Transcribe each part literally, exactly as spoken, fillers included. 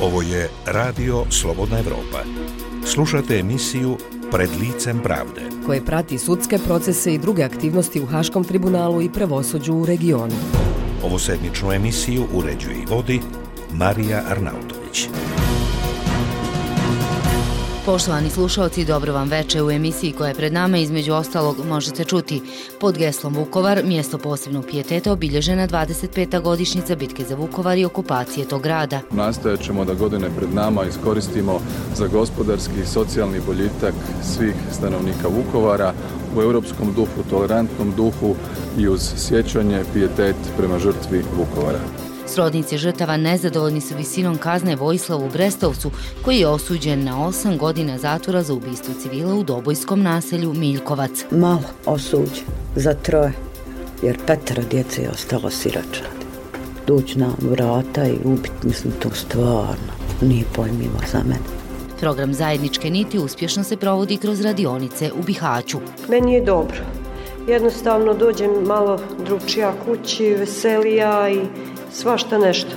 Ovo je Radio Slobodna Evropa. Slušate emisiju Pred licem pravde, koje prati sudske procese i druge aktivnosti u Haškom tribunalu i pravosuđu u regionu. Ovu sedmičnu emisiju uređuje i vodi Marija Arnautović. Poštovani slušalci, dobro vam veče. U emisiji koja je pred nama, između ostalog, možete čuti: pod geslom Vukovar, mjesto posebnog pijeteta, obilježena dvadeset peta godišnjica bitke za Vukovar i okupacije tog grada. Nastojat ćemo da godine pred nama iskoristimo za gospodarski i socijalni boljitak svih stanovnika Vukovara u europskom duhu, tolerantnom duhu i uz sjećanje, pijetet prema žrtvi Vukovara. Srodnici žrtava nezadovoljni su visinom kazne Vojislavu Brestovcu, koji je osuđen na osam godina zatvora za ubistvo civila u dobojskom naselju Miljkovac. Malo osuđen za troje, jer petero djece je ostalo siročad. Dući na vrata i ubit, mislim, to stvarno nije pojmljivo za mene. Program Zajedničke niti uspješno se provodi kroz radionice u Bihaću. Meni je dobro. Jednostavno dođem malo drugčija kući, veselija i svašta nešto.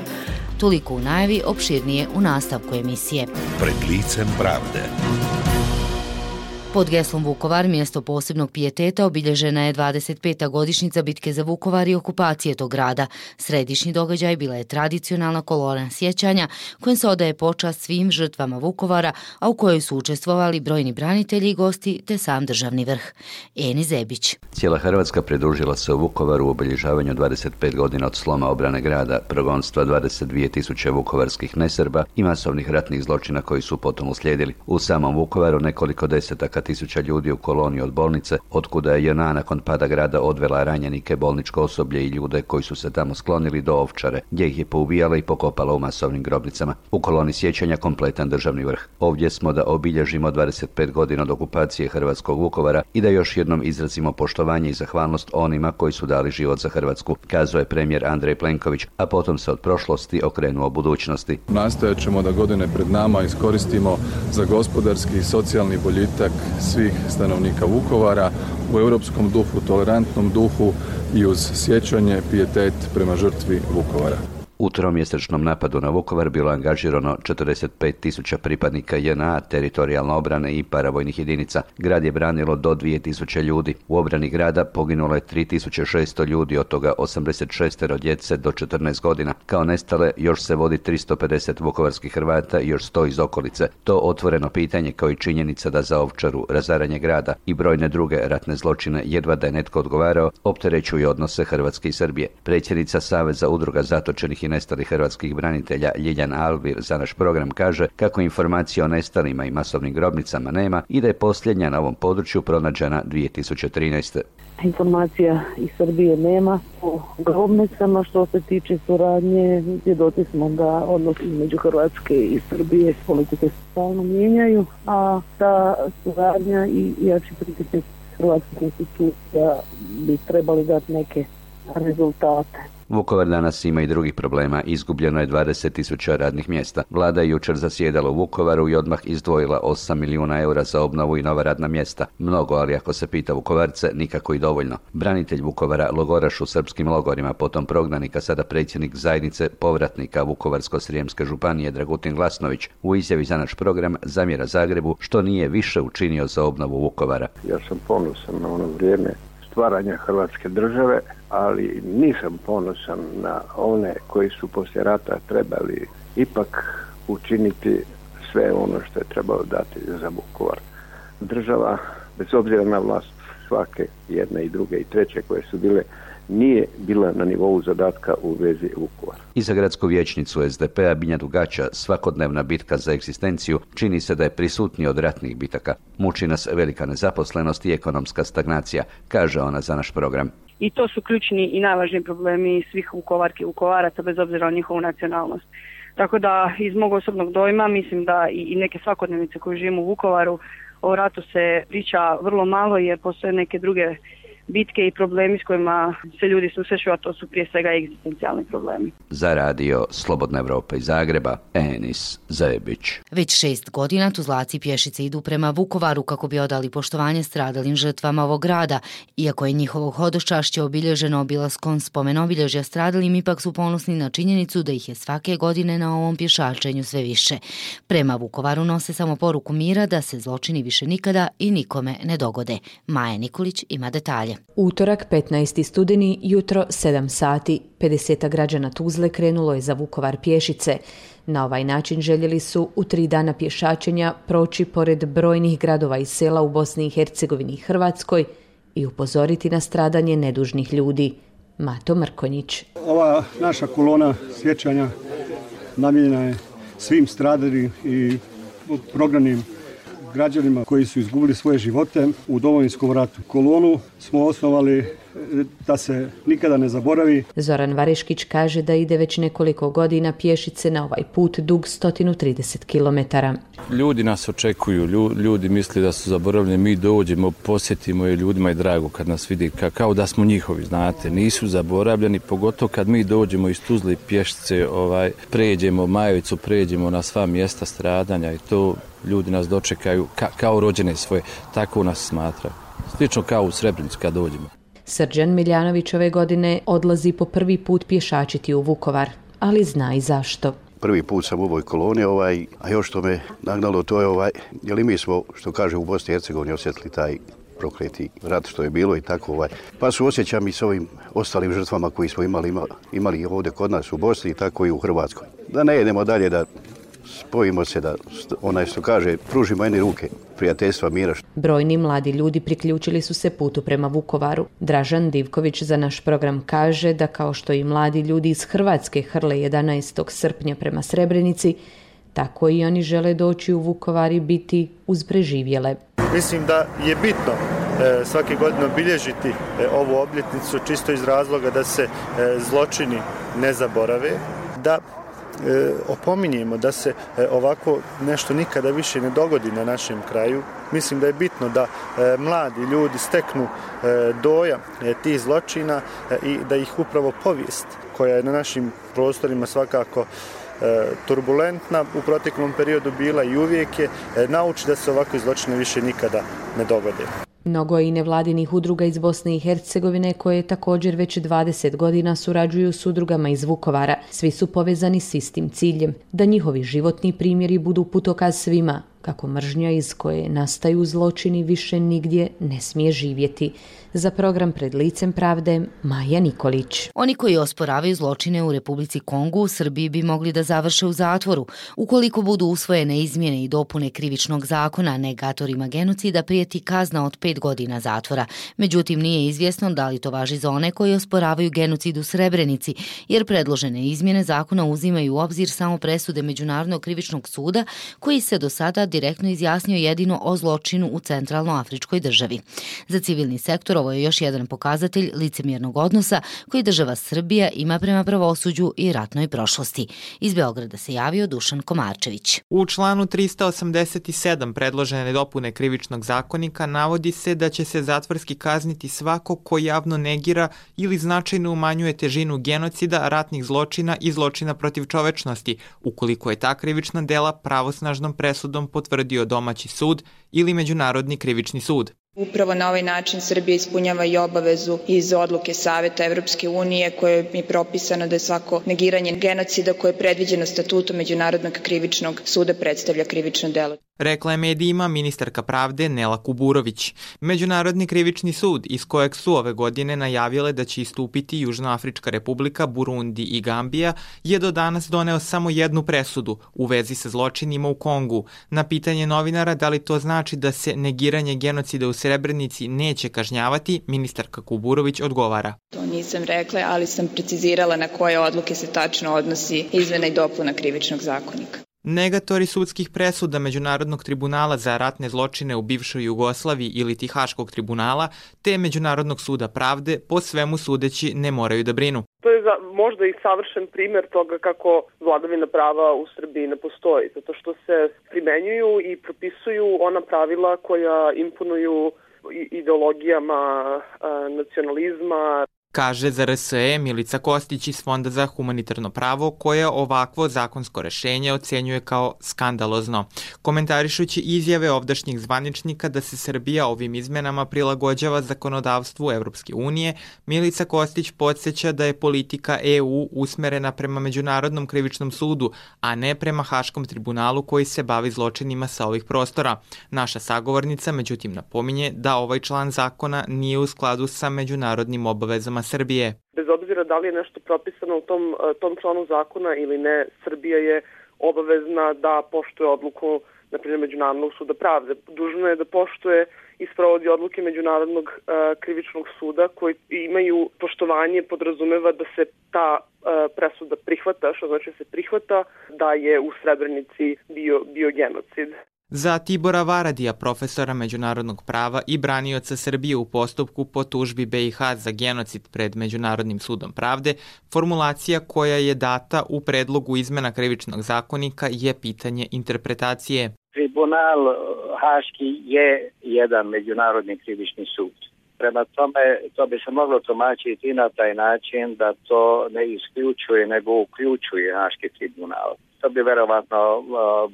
Toliko u najavi, opširnije u nastavku emisije. Pred licem pravde. Pod geslom Vukovar, mjesto posebnog pijeteta, obilježena je dvadeset peta godišnjica bitke za Vukovar i okupacije tog grada. Središnji događaj bila je tradicionalna kolona sjećanja kojom se odaje počast svim žrtvama Vukovara, a u kojoj su učestvovali brojni branitelji i gosti te sam državni vrh. Eni Zebić. Cijela Hrvatska pridružila se u Vukovaru u obilježavanju dvadeset pet godina od sloma obrane grada, progonstva dvadeset dvije tisuće vukovarskih nesrba i masovnih ratnih zločina koji su potom uslijedili. U samom Vukovaru nekoliko desetaka tisuća ljudi u koloniji od bolnice, otkuda je J N A nakon pada grada odvela ranjenike, bolničko osoblje i ljude koji su se tamo sklonili do Ovčare, gdje ih je poubijala i pokopala u masovnim grobnicama. U koloni sjećanja kompletan državni vrh. Ovdje smo da obilježimo dvadeset pet godina od okupacije hrvatskog Vukovara i da još jednom izrazimo poštovanje i zahvalnost onima koji su dali život za Hrvatsku, kazao je premijer Andrej Plenković, a potom se od prošlosti okrenuo budućnosti. Nastojat ćemo da godine pred nama iskoristimo za gospodarski i socijalni boljitak svih stanovnika Vukovara u europskom duhu, tolerantnom duhu i uz sjećanje, pijetet prema žrtvi Vukovara. U tromjesečnom napadu na Vukovar bilo angažirano četrdeset pet tisuća pripadnika J N A, teritorijalne obrane i paravojnih jedinica. Grad je branilo do dvije tisuće ljudi. U obrani grada poginulo je tri tisuće šesto ljudi, od toga osamdeset šest djece do četrnaest godina. Kao nestale još se vodi tristo pedeset vukovarskih Hrvata i još sto iz okolice. To otvoreno pitanje, kao i činjenica da za Ovčaru, razaranje grada i brojne druge ratne zločine jedva da je netko odgovarao, opterećuju odnose Hrvatske i Srbije. Predsjednica Saveza udruga zatočenih i nestalih hrvatskih branitelja Ljiljana Alvir za naš program kaže kako informacije o nestalima i masovnim grobnicama nema i da je posljednja na ovom području pronađena dvije tisuće trinaeste. Informacija iz Srbije nema o grobnicama. Što se tiče suradnje, svjedoci smo da odnosi između Hrvatske i Srbije politike se stalno mijenjaju, a ta suradnja i jači pritisak hrvatskih institucija bi trebali dati neke rezultate. Vukovar danas ima i drugih problema. Izgubljeno je dvadeset tisuća radnih mjesta. Vlada je jučer zasjedala u Vukovaru i odmah izdvojila osam milijuna eura za obnovu i nova radna mjesta. Mnogo, ali ako se pita Vukovarce, nikako i dovoljno. Branitelj Vukovara, logoraš u srpskim logorima, potom prognanika, sada predsjednik zajednice povratnika Vukovarsko-srijemske županije Dragutin Glasnović, u izjavi za naš program zamjera Zagrebu što nije više učinio za obnovu Vukovara. Ja sam ponosan na ono vrijeme stvaranja Hrvatske države, ali nisam ponosan na one koji su poslije rata trebali ipak učiniti sve ono što je trebalo dati za Vukovar. Država, bez obzira na vlast svake, jedne i druge i treće koje su bile, nije bila na nivou zadatka u vezi Vukovara. I za gradsku vijećnicu S D P-a Binja Dugača svakodnevna bitka za egzistenciju čini se da je prisutnija od ratnih bitaka. Muči nas velika nezaposlenost i ekonomska stagnacija, kaže ona za naš program. I to su ključni i najvažniji problemi svih Vukovarki i Vukovaraca, bez obzira na njihovu nacionalnost. Tako da iz mog osobnog dojma mislim da i neke svakodnevnice koje živimo u Vukovaru, o ratu se priča vrlo malo jer postoje neke druge bitke i problemi s kojima se ljudi susreću, a to su prije svega egzistencijalni problemi. Za radio Slobodna Evropa iz Zagreba, Enis Zajebić. Već šest godina tuzlaci pješice idu prema Vukovaru kako bi odali poštovanje stradalim žrtvama ovog grada. Iako je njihovo hodočašće obilježeno obilaskom spomen-obilježja stradalim, ipak su ponosni na činjenicu da ih je svake godine na ovom pješačenju sve više. Prema Vukovaru nose samo poruku mira da se zločini više nikada i nikome ne dogode. Maja Nikolić ima detalje. Utorak, petnaesti studeni, jutro sedam sati. pedeset građana Tuzle krenulo je za Vukovar pješice. Na ovaj način željeli su u tri dana pješačenja proći pored brojnih gradova i sela u Bosni i Hercegovini i Hrvatskoj i upozoriti na stradanje nedužnih ljudi. Mato Mrkonjić. Ova naša kolona sjećanja namijenjena je svim stradalim i prognanim građanima koji su izgubili svoje živote u Domovinskom ratu. Kolonu smo osnovali da se nikada ne zaboravi. Zoran Vareškić kaže da ide već nekoliko godina pješice na ovaj put dug sto trideset kilometara. Ljudi nas očekuju, ljudi misle da su zaboravljeni, mi dođemo, posjetimo i ljudima je drago kad nas vidi, kao da smo njihovi, znate, nisu zaboravljeni, pogotovo kad mi dođemo iz Tuzle pješice, ovaj, pređemo Majevicu, pređemo na sva mjesta stradanja i to ljudi nas dočekaju ka, kao rođene svoje, tako nas smatraju. Slično kao u Srebrenicu kad dođemo. Srđan Miljanović ove godine odlazi po prvi put pješačiti u Vukovar, ali zna i zašto. Prvi put sam u ovoj koloni, ovaj, a još što me nagnalo to je, ovaj, jer i mi smo, što kaže, u Bosni i Hercegovini osjetili taj prokleti rat što je bilo i tako. Ovaj. Pa su osjećam i s ovim ostalim žrtvama koji smo imali, imali, imali ovdje kod nas u Bosni i tako i u Hrvatskoj. Da ne idemo dalje, da spojimo se, da onaj što kaže, pružimo jedne ruke prijateljstva, mira. Brojni mladi ljudi priključili su se putu prema Vukovaru. Dražan Divković za naš program kaže da kao što i mladi ljudi iz Hrvatske hrle jedanaestog srpnja prema Srebrenici, tako i oni žele doći u Vukovar i biti uz preživjele. Mislim da je bitno e, svake godine obilježiti e, ovu obljetnicu čisto iz razloga da se e, zločini ne zaborave, da E, opominjemo da se e, ovako nešto nikada više ne dogodi na našem kraju. Mislim da je bitno da e, mladi ljudi steknu e, dojam e, tih zločina e, i da ih upravo povijest koja je na našim prostorima svakako e, turbulentna u proteklom periodu bila i uvijek je, e, nauči da se ovakve zločine više nikada ne dogode. Mnogo je i nevladinih udruga iz Bosne i Hercegovine koje također već dvadeset godina surađuju s udrugama iz Vukovara. Svi su povezani s istim ciljem, da njihovi životni primjeri budu putokaz svima, kako mržnja iz koje nastaju zločini više nigdje ne smije živjeti. Za program Pred licem pravde, Maja Nikolić. Oni koji osporavaju zločine u Republici Kongu u Srbiji bi mogli da završe u zatvoru. Ukoliko budu usvojene izmjene i dopune krivičnog zakona, negatorima genocida prijeti kazna od pet godina zatvora. Međutim, nije izvjesno da li to važi za one koji osporavaju genocid u Srebrenici, jer predložene izmjene zakona uzimaju u obzir samo presude Međunarodnog krivičnog suda, koji se do sada direktno izjasnio jedino o zločinu u centralnoafričkoj državi. Za civilni sektor ovo je još jedan pokazatelj licemjernog odnosa koji država Srbija ima prema pravosuđu i ratnoj prošlosti. Iz Beograda se javio Dušan Komarčević. U članu trista osamdeset sedam predložene dopune krivičnog zakonika navodi se da će se zatvorski kazniti svako ko javno negira ili značajno umanjuje težinu genocida, ratnih zločina i zločina protiv čovečnosti, ukoliko je ta krivična dela pravosnažnom presudom potvrdio domaći sud ili Međunarodni krivični sud. Upravo na ovaj način Srbija ispunjava i obavezu iz odluke Saveta Evropske unije koje je propisano da je svako negiranje genocida koje je predviđeno statutom Međunarodnog krivičnog suda predstavlja krivično delo. Rekla je medijima ministarka pravde Nela Kuburović. Međunarodni krivični sud, iz kojeg su ove godine najavile da će istupiti Južnoafrička republika, Burundi i Gambija, je do danas doneo samo jednu presudu u vezi sa zločinima u Kongu. Na pitanje novinara da li to znači da se negiranje genocida u Srebrenici neće kažnjavati, ministarka Kuburović odgovara. To nisam rekla, ali sam precizirala na koje odluke se tačno odnosi izmena i dopuna krivičnog zakonika. Negatori sudskih presuda Međunarodnog tribunala za ratne zločine u bivšoj Jugoslaviji ili Haškog tribunala te Međunarodnog suda pravde po svemu sudeći ne moraju da brinu. To je za, možda i savršen primjer toga kako vladavina prava u Srbiji ne postoji, zato što se primenjuju i propisuju ona pravila koja imponuju ideologijama nacionalizma. Kaže za R S E Milica Kostić iz Fonda za humanitarno pravo, koja ovakvo zakonsko rešenje ocenjuje kao skandalozno. Komentarišući izjave ovdašnjih zvaničnika da se Srbija ovim izmenama prilagođava zakonodavstvu Evropske unije, Milica Kostić podsjeća da je politika E U usmerena prema Međunarodnom krivičnom sudu, a ne prema Haškom tribunalu koji se bavi zločinima sa ovih prostora. Naša sagovornica međutim napominje da ovaj član zakona nije u skladu sa međunarodnim obavezama Srbije. Bez obzira da li je nešto propisano u tom, tom članu zakona ili ne, Srbija je obavezna da poštuje odluku, na primjer, Međunarodnog suda pravde. Dužna je da poštuje i sprovodi odluke Međunarodnog uh, krivičnog suda koji imaju poštovanje, podrazumeva da se ta uh, presuda prihvata, što znači da se prihvata da je u Srebrenici bio, bio genocid. Za Tibora Varadija, profesora međunarodnog prava i branioca Srbije u postupku po tužbi B i H za genocid pred Međunarodnim sudom pravde, formulacija koja je data u predlogu izmena krivičnog zakonika je pitanje interpretacije. Tribunal Haški je jedan međunarodni krivični sud. Prema tome, to bi se moglo tumačiti na taj način da to ne isključuje, nego uključuje Haški tribunal. To bi verovatno uh,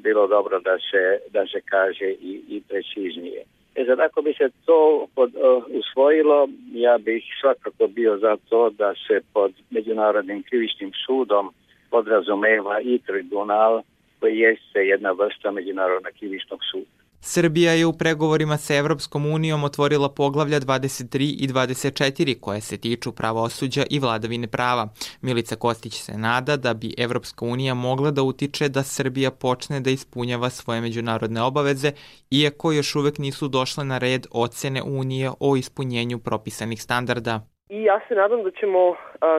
bilo dobro da se, da se kaže i, i preciznije. E sad, ako bi se to pod, uh, usvojilo, ja bih svakako bio za to da se pod Međunarodnim krivičnim sudom podrazumeva i tribunal koji jeste jedna vrsta Međunarodnog krivičnog suda. Srbija je u pregovorima sa Evropskom unijom otvorila poglavlja dvadeset tri i dvadeset četiri koje se tiču pravosuđa i vladavine prava. Milica Kostić se nada da bi Evropska unija mogla da utiče da Srbija počne da ispunjava svoje međunarodne obaveze, iako još uvek nisu došle na red ocene Unije o ispunjenju propisanih standarda. I ja se nadam da ćemo,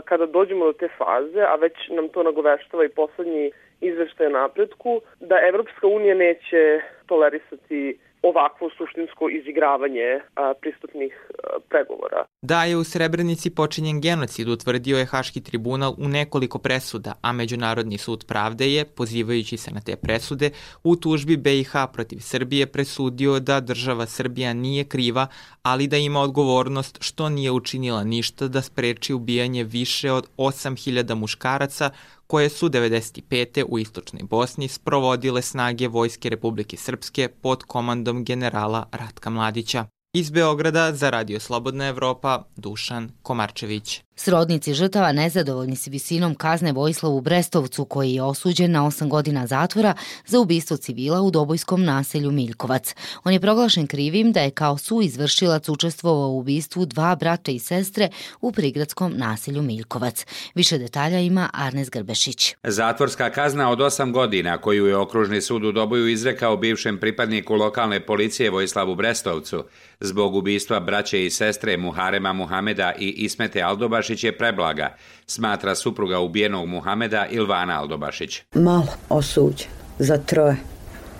kada dođemo do te faze, a već nam to nagoveštava i poslednji izveštaj o napretku, da Evropska unija neće tolerisati ovakvo suštinsko izigravanje a, pristupnih a, pregovora. Da je u Srebrenici počinjen genocid, utvrdio je Haški tribunal u nekoliko presuda, a Međunarodni sud pravde je, pozivajući se na te presude, u tužbi B i H protiv Srbije presudio da država Srbija nije kriva, ali da ima odgovornost što nije učinila ništa da spreči ubijanje više od osam hiljada muškaraca koje su devedeset pete u istočnoj Bosni sprovodile snage Vojske Republike Srpske pod komandom generala Ratka Mladića. Iz Beograda za Radio Slobodna Evropa, Dušan Komarčević. Srodnici žrtava nezadovoljni s visinom kazne Vojislavu Brestovcu, koji je osuđen na osam godina zatvora za ubistvo civila u dobojskom naselju Miljkovac. On je proglašen krivim da je kao suizvršilac učestvovao u ubistvu dva brata i sestre u prigradskom naselju Miljkovac. Više detalja ima Arnes Grbešić. Zatvorska kazna od osam godina koju je Okružni sud u Doboju izrekao bivšem pripadniku lokalne policije Vojislavu Brestovcu zbog ubistva braće i sestre Muharema Muhameda i Ismete Aldobašić je preblaga, smatra supruga ubijenog Muhameda Ilvana Aldobašić. Malo osuđen za troje,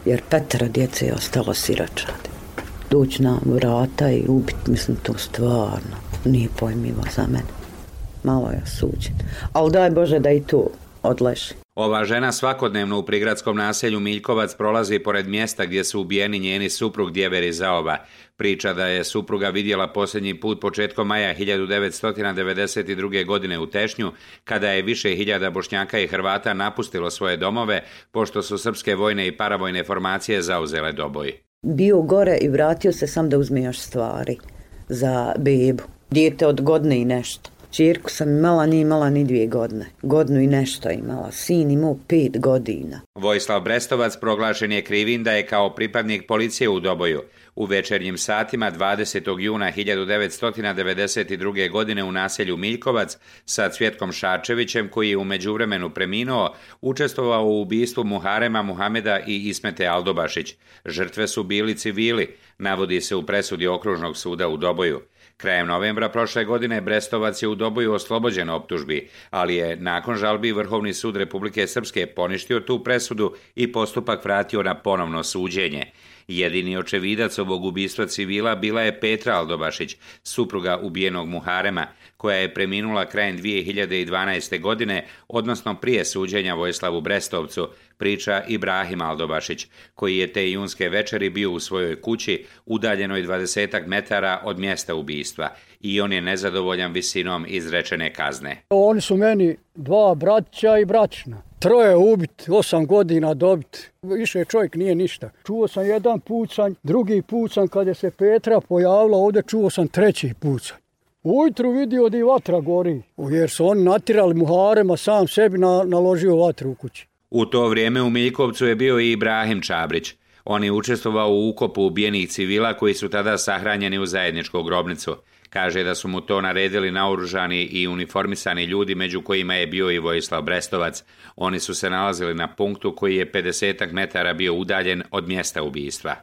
jer petero djece je ostalo siročadi. Duć na vrata i ubit, mislim, to stvarno nije pojmljivo za mene. Malo je osuđen, ali daj Bože da i tu odleži. Ova žena svakodnevno u prigradskom naselju Miljkovac prolazi pored mjesta gdje su ubijeni njeni suprug Djever i Zaoba. Priča da je supruga vidjela posljednji put početkom maja hiljadu devetsto devedeset druge. godine u Tešnju, kada je više hiljada Bošnjaka i Hrvata napustilo svoje domove, pošto su srpske vojne i paravojne formacije zauzele Doboj. Bio gore i vratio se sam da uzme još stvari za bebu. Dijete od godine i nešto. Čirku sam imala, nije imala ni dvije godine. Godinu i nešto imala. Sin imao pet godina. Vojislav Brestovac proglašen je krivim da je kao pripadnik policije u Doboju u večernjim satima dvadesetog juna hiljadu devetsto devedeset druge. godine u naselju Miljkovac sa Cvjetkom Šačevićem, koji je u međuvremenu preminuo, učestvovao u ubistvu Muharema Muhameda i Ismete Aldobašić. Žrtve su bili civili, navodi se u presudi Okružnog suda u Doboju. Krajem novembra prošle godine Brestovac je u Doboju oslobođen optužbi, ali je nakon žalbi Vrhovni sud Republike Srpske poništio tu presudu i postupak vratio na ponovno suđenje. Jedini očevidac ovog ubistva civila bila je Petra Aldobašić, supruga ubijenog Muharema, koja je preminula krajem dvije hiljade dvanaeste. godine, odnosno prije suđenja Vojislavu Brestovcu, priča Ibrahim Aldobašić, koji je te junske večeri bio u svojoj kući, udaljenoj dvadesetak metara od mjesta ubistva, i on je nezadovoljan visinom izrečene kazne. Oni su meni dva bratića i braćna. Troje ubit, osam godina dobit. Više čovjek nije ništa. Čuo sam jedan pucanj, drugi pucanj, kad je se Petra pojavila ovdje, čuo sam treći pucanj. Ujutru vidio da i vatra gori, jer su oni natirali Muharema, sam sebi na, naložio vatru u kući. U to vrijeme u Miljkovcu je bio i Ibrahim Čabrić. On je učestvovao u ukopu ubijenih civila koji su tada sahranjeni u zajedničku grobnicu. Kaže da su mu to naredili naoružani i uniformisani ljudi, među kojima je bio i Vojislav Brestovac. Oni su se nalazili na punktu koji je pedesetak metara bio udaljen od mjesta ubistva.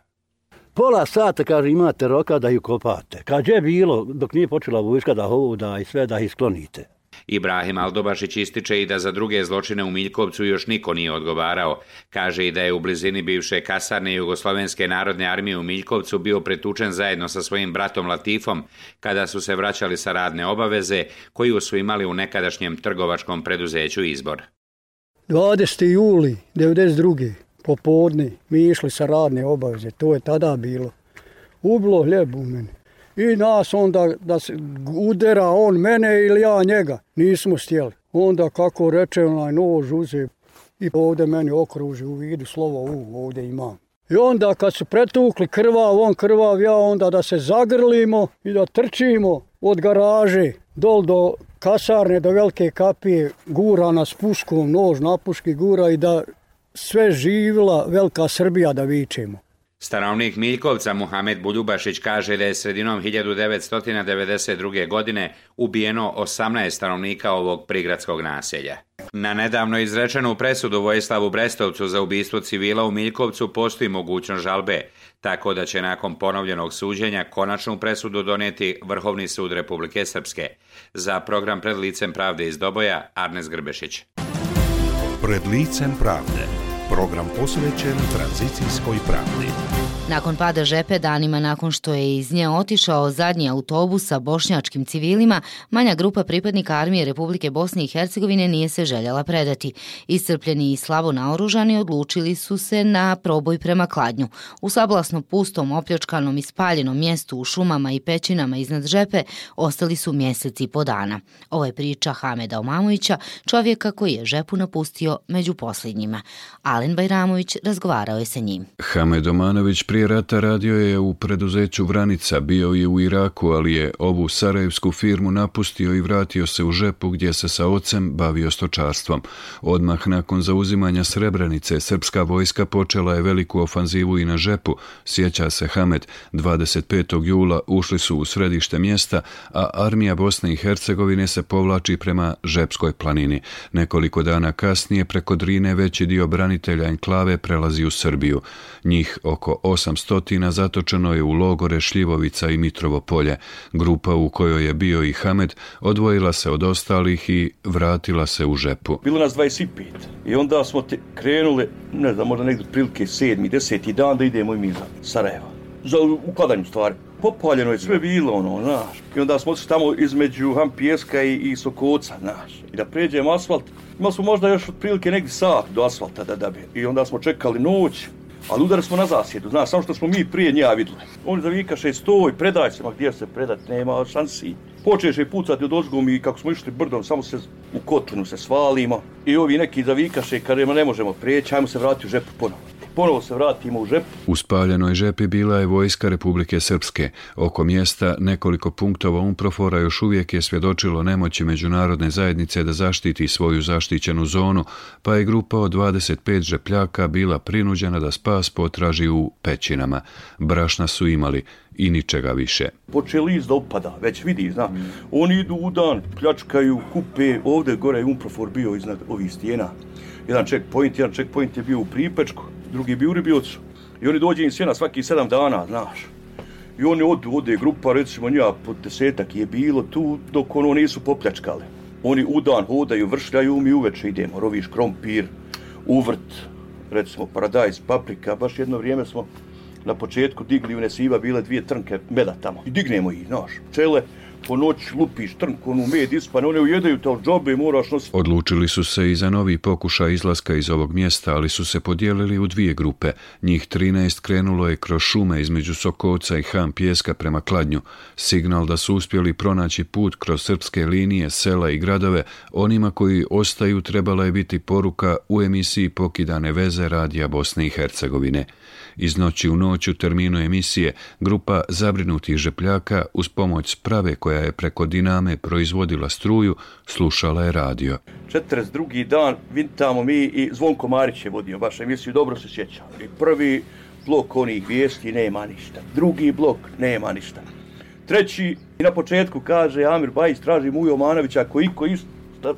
Pola sata, kaže, imate roka da ju kopate. Kad je bilo, dok nije počela vojska da hoda i sve da ih sklonite. Ibrahim Aldobašić ističe i da za druge zločine u Miljkovcu još niko nije odgovarao. Kaže i da je u blizini bivše kasarne Jugoslovenske narodne armije u Miljkovcu bio pretučen zajedno sa svojim bratom Latifom kada su se vraćali sa radne obaveze koju su imali u nekadašnjem trgovačkom preduzeću Izbor. dvadesetog jula devedeset druge popodne mi išli sa radne obaveze, to je tada bilo. Ubilo hljeb u mene. I nas onda da se udera on mene ili ja njega. Nismo stjeli. Onda kako reče onaj nož uze i ovdje meni okruži u vidu slovo U, ovdje imam. I onda kad su pretukli krvav, on krvav, ja onda da se zagrlimo i da trčimo od garaže dol do kasarne, do velike kapije, gura nas puškom, nož na puški gura i da sve živila velika Srbija da vičemo. Stanovnik Miljkovca Muhamed Buljubašić kaže da je sredinom hiljadu devetsto devedeset druge. godine ubijeno osamnaest stanovnika ovog prigradskog naselja. Na nedavno izrečenu presudu Vojislavu Brestovcu za ubistvo civila u Miljkovcu postoji mogućnost žalbe, tako da će nakon ponovljenog suđenja konačnu presudu donijeti Vrhovni sud Republike Srpske. Za program Pred licem pravde iz Doboja, Arnes Grbešić. Pred licem pravde. Program posvećen tranzicijskoj pravdi. Nakon pada Žepe, danima nakon što je iz nje otišao zadnji autobus sa bošnjačkim civilima, manja grupa pripadnika armije Republike Bosne i Hercegovine nije se željela predati. Iscrpljeni i slabo naoružani odlučili su se na proboj prema Kladnju. U sablasno pustom, opljačkanom i spaljenom mjestu u šumama i pećinama iznad Žepe ostali su mjeseci i po dana. Ovo je priča Hameda Omamovića, čovjeka koji je Žepu napustio među posljednjima. Alen Bajramović razgovarao je sa njim. Hamed Omanović prije rata radio je u preduzeću Vranica, bio je u Iraku, ali je ovu sarajevsku firmu napustio i vratio se u Žepu gdje se sa ocem bavio stočarstvom. Odmah nakon zauzimanja Srebrenice, srpska vojska počela je veliku ofanzivu i na Žepu. Sjeća se Hamed, dvadeset petog jula ušli su u središte mjesta, a armija Bosne i Hercegovine se povlači prema Žepskoj planini. Nekoliko dana kasnije preko Drine veći dio branitelja enklave prelazi u Srbiju. Njih oko osamsto zatočeno je u logore Šljivovica i Mitrovo polje. Grupa u kojoj je bio i Hamed odvojila se od ostalih i vratila se u Žepu. Bilo nas dvadeset pet i onda smo te krenuli, ne znam, možda negdje prilike sedmi, deseti dan da idemo i mi za Sarajeva. Za uklanjanju stvari. Popaljeno je sve bilo, ono, znaš. I onda smo otišli tamo između Hampijeska i, i Sokoca, znaš. I da pređemo asfalt. Imali smo možda još otprilike negdje sat do asfalta da da bi. I onda smo čekali noć. Ali udari smo na zasjedu, znaš, samo što smo mi prije nja vidjeli. Oni zavikaše, stoj, predaj se, ma gdje se predat, nema šansi. Počeše pucati od ozgom i kako smo išli brdom, samo se u kotlinu se svalimo. I ovi neki zavikaše, kada ne možemo prijeći, ajmo se vratiti u Žepu ponovo. Ponovo se vratimo u Žepu. U spaljenoj Žepi bila je vojska Republike Srpske. Oko mjesta nekoliko punktova UNPROFOR-a još uvijek je svjedočilo nemoći međunarodne zajednice da zaštiti svoju zaštićenu zonu, pa je grupa od dvadeset pet Žepljaka bila prinuđena da spas potraži u pećinama. Brašna su imali i ničega više. Počeli iz da upada, već vidi, zna. Mm. Oni idu u dan, pljačkaju, kupe, ovdje gore je UNPROFOR bio iznad ovih stijena. Jedan checkpoint, jedan checkpoint je bio u Pripečku, drugi je bio u Ribiocu. I oni dođe im sjena svaki sedam dana, znaš. I oni odu, ode grupa, recimo njega po desetak je bilo tu, dok ono nisu popljačkali. Oni u dan hodaju, vršljaju, mi uveče idemo, roviš krompir, uvrt, recimo paradajz, paprika, baš jedno vrijeme smo na početku digli u Nesiva bile dvije trnke meda tamo. I dignemo ih, znaš, pčele, po noći lupiš trnku, onu med ispane, one ujedaju te od džobe i moraš nositi. Odlučili su se i za novi pokušaj izlaska iz ovog mjesta, ali su se podijelili u dvije grupe. Njih trinaest krenulo je kroz šume između Sokovca i Ham Pijeska prema Kladnju. Signal da su uspjeli pronaći put kroz srpske linije, sela i gradove, onima koji ostaju trebala je biti poruka u emisiji Pokidane veze Radija Bosne i Hercegovine. Iz noći u noć u terminu emisije grupa zabrinutih žepljaka uz pomoć sprave koja je preko diname proizvodila struju, slušala je radio. četrdeset drugi dan vintamo mi i Zvonko Marić je vodio baš emisiju, dobro se sjeća. I prvi blok onih vijesti nema ništa, drugi blok nema ništa. Treći i na početku kaže Amir Bajić traži Mujo Omanovića, ako iko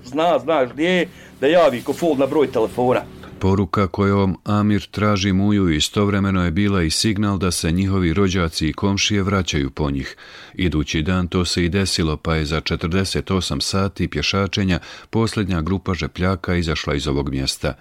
zna, znaš gdje je, da javi ko fol na broj telefona. Poruka kojom Amir traži Muju istovremeno je bila i signal da se njihovi rođaci i komšije vraćaju po njih. Idući dan to se i desilo, pa je za četrdeset osam sati pješačenja posljednja grupa žepljaka izašla iz ovog mjesta.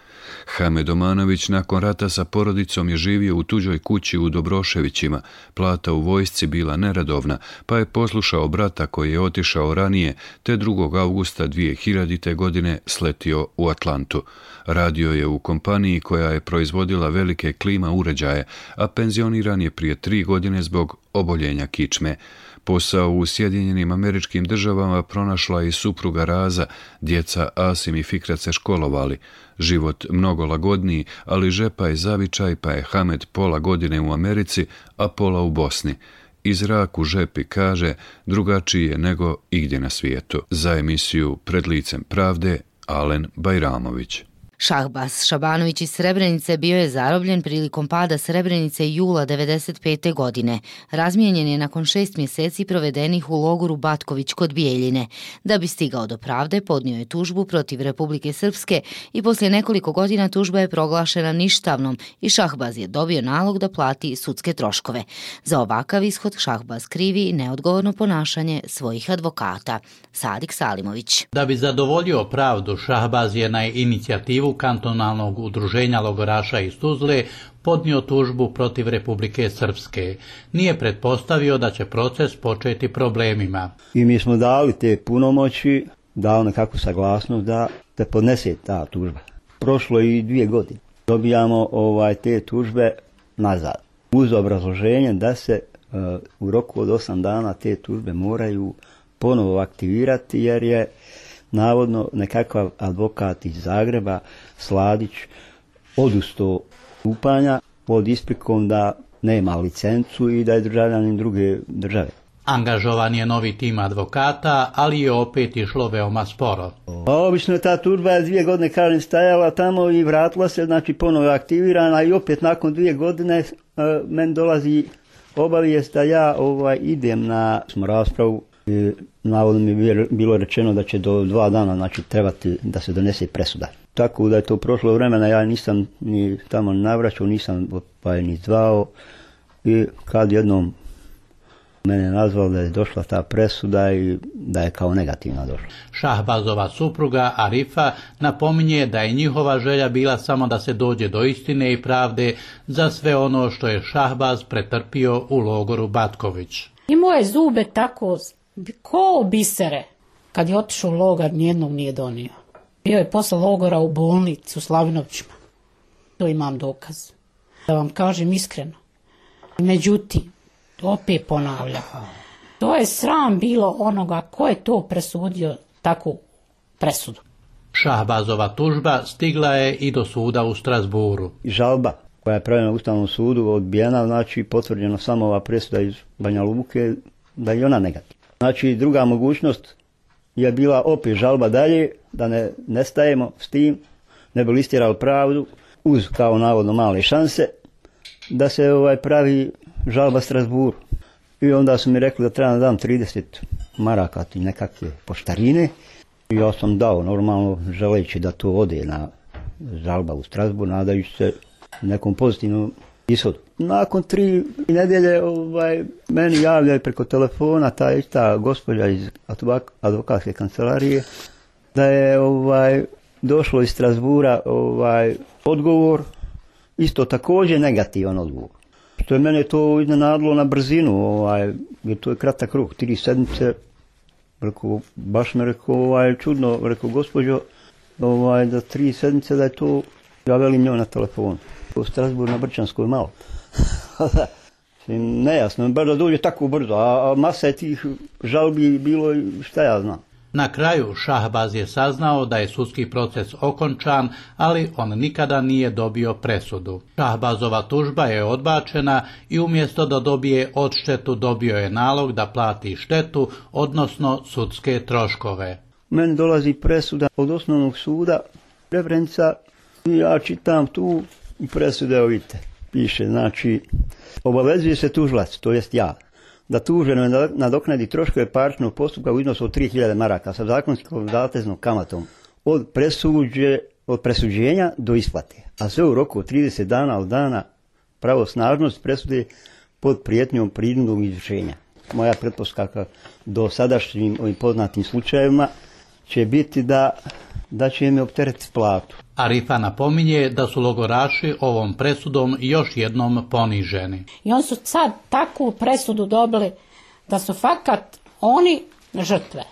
Hamed Omanović nakon rata sa porodicom je živio u tuđoj kući u Dobroševićima. Plata u vojsci bila neredovna, pa je poslušao brata koji je otišao ranije, te drugog avgusta dvije hiljadite. godine sletio u Atlantu. Radio je u kompaniji koja je proizvodila velike klima uređaje, a penzioniran je prije tri godine zbog oboljenja kičme. Posao u Sjedinjenim Američkim Državama pronašla i supruga Raza, djeca Asim i Fikret se školovali. Život mnogo lagodniji, ali žepa je zavičaj, pa je Hamed pola godine u Americi, a pola u Bosni. Iz zrak u žepi kaže drugačiji je nego igdje na svijetu. Za emisiju Pred licem pravde, Alen Bajramović. Šahbaz Šabanović iz Srebrenice bio je zarobljen prilikom pada Srebrenice jula devedeset pete. godine. Razmijenjen je nakon šest mjeseci provedenih u logoru Batković kod Bijeljine. Da bi stigao do pravde, podnio je tužbu protiv Republike Srpske i poslije nekoliko godina tužba je proglašena ništavnom i Šahbaz je dobio nalog da plati sudske troškove. Za ovakav ishod Šahbaz krivi i neodgovorno ponašanje svojih advokata. Sadik Salimović. Da bi zadovoljio pravdu, Šahbaz je na inicijativu kantonalnog udruženja logoraša iz Tuzle podnio tužbu protiv Republike Srpske. Nije pretpostavio da će proces početi problemima. I mi smo dali te punomoći, dao nekakvu saglasnost da te podnese ta tužba. Prošlo je i dvije godine. Dobijamo ovaj, te tužbe nazad. Uz obrazloženje da se uh, u roku od osam dana te tužbe moraju ponovo aktivirati jer je navodno nekakav advokat iz Zagreba, Sladić, odustao stupanja pod isprikom da nema licencu i da je državljanin druge države. Angažovan je novi tim advokata, ali je opet išlo veoma sporo. Pa obično je ta tužba dvije godine kažem stajala tamo i vratila se, znači ponovo aktivirana i opet nakon dvije godine uh, meni dolazi obavijest da ja ovaj, idem na raspravu. I navodno mi je bilo rečeno da će do dva dana znači, trebati da se donese presuda. Tako da je to prošlo vremena, ja nisam ni tamo navraćao, nisam pa je ni zvao i kad jednom mene nazvao da je došla ta presuda i da je kao negativna došla. Šahbazova supruga Arifa napominje da je njihova želja bila samo da se dođe do istine i pravde za sve ono što je Šahbaz pretrpio u logoru Batković. Imao je zube tako ko bisere. Kad je otišao u logor, nijednog nije donio. Bio je posle logora u bolnicu u Slavinovčima. To imam dokaz. Da vam kažem iskreno. Međutim, opet ponavljam. To je sram bilo onoga ko je to presudio takvu presudu. Šahbazova tužba stigla je i do suda u Strasburu. Žalba koja je pravljena u Ustavnom sudu odbijena, znači potvrđena samo ova presuda iz Banja Luke, da je ona negativna. Znači druga mogućnost je bila opet žalba dalje, da ne nestajemo s tim, ne bi listirali pravdu, uz kao navodno male šanse, da se ovaj pravi žalba Strasburu. I onda su mi rekli da trebam da dam trideset maraka i nekakve poštarine. I ja sam dao normalno želeći da to ode na žalba u Strasburu, nadajući se nekom pozitivnom ishodu. Nakon tri nedelje ovaj, meni javljaju preko telefona ta ista gospođa iz advokatske kancelarije da je ovaj, došlo iz Strasbura ovaj, odgovor, isto također negativan odgovor. Što je mene to iznenadilo na brzinu, ovaj, jer to je kratak rok, tri sedmice. Rekao, baš me rekao, ovaj, čudno, rekao, gospođo, ovaj, da tri sedmice da je to, ja velim njoj na telefonu. U Strasbourgu na Brčanskoj malo. Nejasno, bar da dođe tako brzo, a, a masa je tih žalbi bilo, šta ja znam. Na kraju Šahbaz je saznao da je sudski proces okončan, ali on nikada nije dobio presudu. Šahbazova tužba je odbačena i umjesto da dobije odštetu dobio je nalog da plati štetu, odnosno sudske troškove. Meni dolazi presuda od osnovnog suda, referenca, i ja čitam tu i presude, evo vidite, piše, znači, obavezuje se tužilac, to jest ja, da tuženo nadoknadi troškove parničnog postupka u iznosu od tri hiljade maraka sa zakonskom zateznom kamatom od, presuđe, od presuđenja do isplate, a sve u roku od trideset dana od dana pravosnažnosti presude pod prijetnjom prinudnog izvršenja. Moja pretpostavka do sadašnjim ovim poznatim slučajevima će biti da, da će mi opteretiti platu. Arifa napominje da su logoraši ovom presudom još jednom poniženi. I oni su sad takvu presudu dobili da su fakat oni žrtve.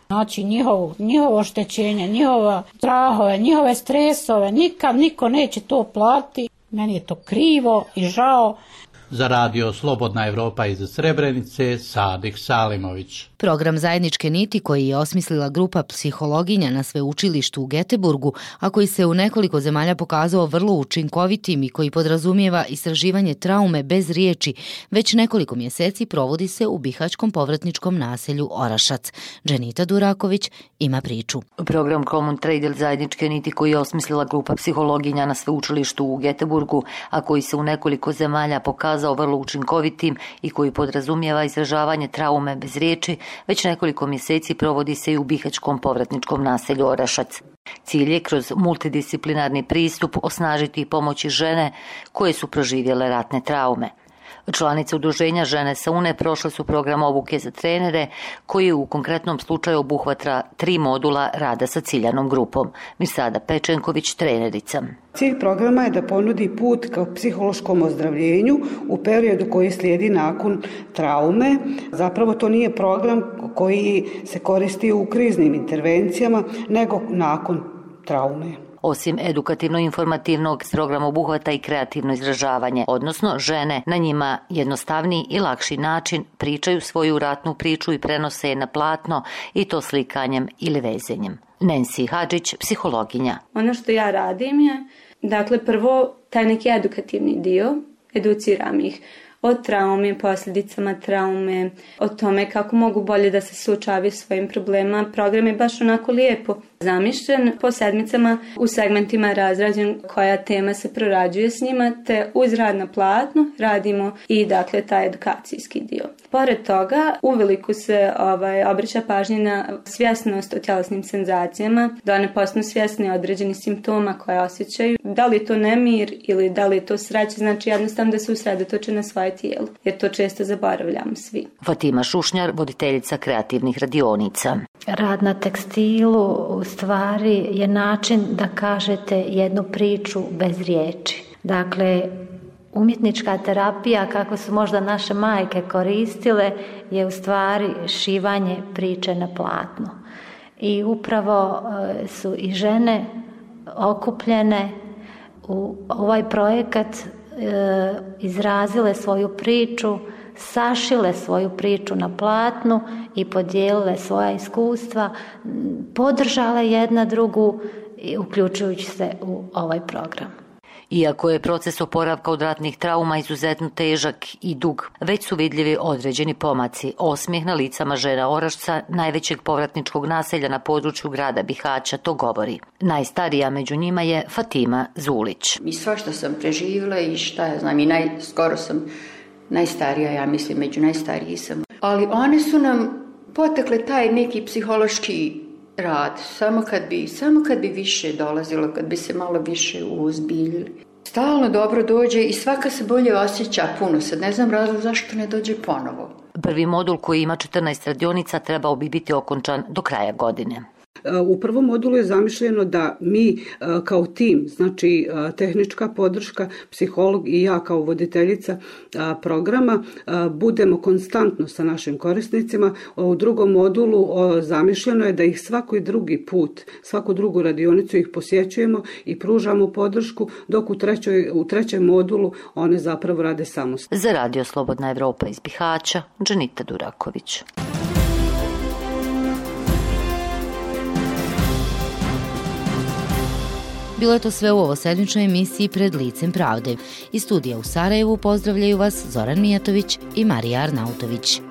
Znači njihovo, njihovo oštećenje, njihova strahove, njihove stresove, nikad niko neće to platiti. Meni je to krivo i žao. Za radio Slobodna Evropa iz Srebrenice, Sadik Salimović. Program Zajedničke niti koji je osmislila grupa psihologinja na sveučilištu u Göteborgu, a koji se u nekoliko zemalja pokazao vrlo učinkovitim i koji podrazumijeva istraživanje traume bez riječi, već nekoliko mjeseci provodi se u bihaćkom povratničkom naselju Orašac. Dženita Duraković ima priču. Program Common Trade Zajedničke niti koji je osmislila grupa psihologinja na sveučilištu u Göteborgu, a koji se u nekoliko zemalja pokazao vrlo učinkovitim i koji podrazumijeva izražavanje traume bez riječi, već nekoliko mjeseci provodi se i u bihaćkom povratničkom naselju Orašac. Cilj je kroz multidisciplinarni pristup osnažiti i pomoći žene koje su proživjele ratne traume. Članice udruženja Žene sa Une prošle su program obuke za trenere koji u konkretnom slučaju obuhvatra tri modula rada sa ciljanom grupom. Mirsada Pečenković, trenerica. Cilj programa je da ponudi put ka psihološkom ozdravljenju u periodu koji slijedi nakon traume. Zapravo to nije program koji se koristi u kriznim intervencijama, nego nakon traume. Osim edukativno-informativnog, program obuhvata i kreativno izražavanje, odnosno žene na njima jednostavniji i lakši način pričaju svoju ratnu priču i prenose je na platno i to slikanjem ili vezenjem. Nancy Hadžić, psihologinja. Ono što ja radim je, dakle prvo taj neki edukativni dio, educiram ih o traumi, posljedicama traume, o tome kako mogu bolje da se suočavaju svojim problemima. Program je baš onako lijepo zamišljen, po sedmicama u segmentima razrađen koja tema se prorađuje s njima, te uz rad na platnu radimo i dakle taj edukacijski dio. Pored toga, uveliko se ovaj, obraća pažnje na svjesnost o tjelesnim senzacijama, da one postanu svjesne određenih simptoma koje osjećaju. Da li je to nemir ili da li je to sreća, znači jednostavno da se usredotoče na svoje tijelo, jer to često zaboravljamo svi. Fatima Šušnjar, voditeljica kreativnih radionica. Rad na tekstilu u stvari je način da kažete jednu priču bez riječi. Dakle, umjetnička terapija, kako su možda naše majke koristile, je u stvari šivanje priče na platnu. I upravo su i žene okupljene u ovaj projekat, izrazile svoju priču, sašile svoju priču na platnu i podijelile svoja iskustva, podržale jedna drugu, uključujući se u ovaj program. Iako je proces oporavka od ratnih trauma izuzetno težak i dug, već su vidljivi određeni pomaci. Osmijeh na licama žena Orašca, najvećeg povratničkog naselja na području grada Bihaća, to govori. Najstarija među njima je Fatima Zulić. I sva što sam preživjela i šta ja znam, i naj, skoro sam najstarija, ja mislim, među najstarijih sam. Ali one su nam potekle taj neki psihološki rad, samo kad bi, samo kad bi više dolazilo, kad bi se malo više uozbiljili. Stalno dobro dođe i svaka se bolje osjeća puno, sad ne znam razlog zašto ne dođe ponovo. Prvi modul koji ima četrnaest radionica trebao bi biti okončan do kraja godine. U prvom modulu je zamišljeno da mi kao tim, znači tehnička podrška, psiholog i ja kao voditeljica programa, budemo konstantno sa našim korisnicima. U drugom modulu zamišljeno je da ih svaki drugi put, svaku drugu radionicu ih posjećujemo i pružamo podršku, dok u, trećoj, u trećem modulu one zapravo rade samostalno. Za Radio Slobodna Evropa iz Bihaća, Dženita Duraković. Bilo je to sve u ovosedmičnoj emisiji Pred licem pravde. Iz studija u Sarajevu pozdravljaju vas Zoran Mijatović i Marija Arnautović.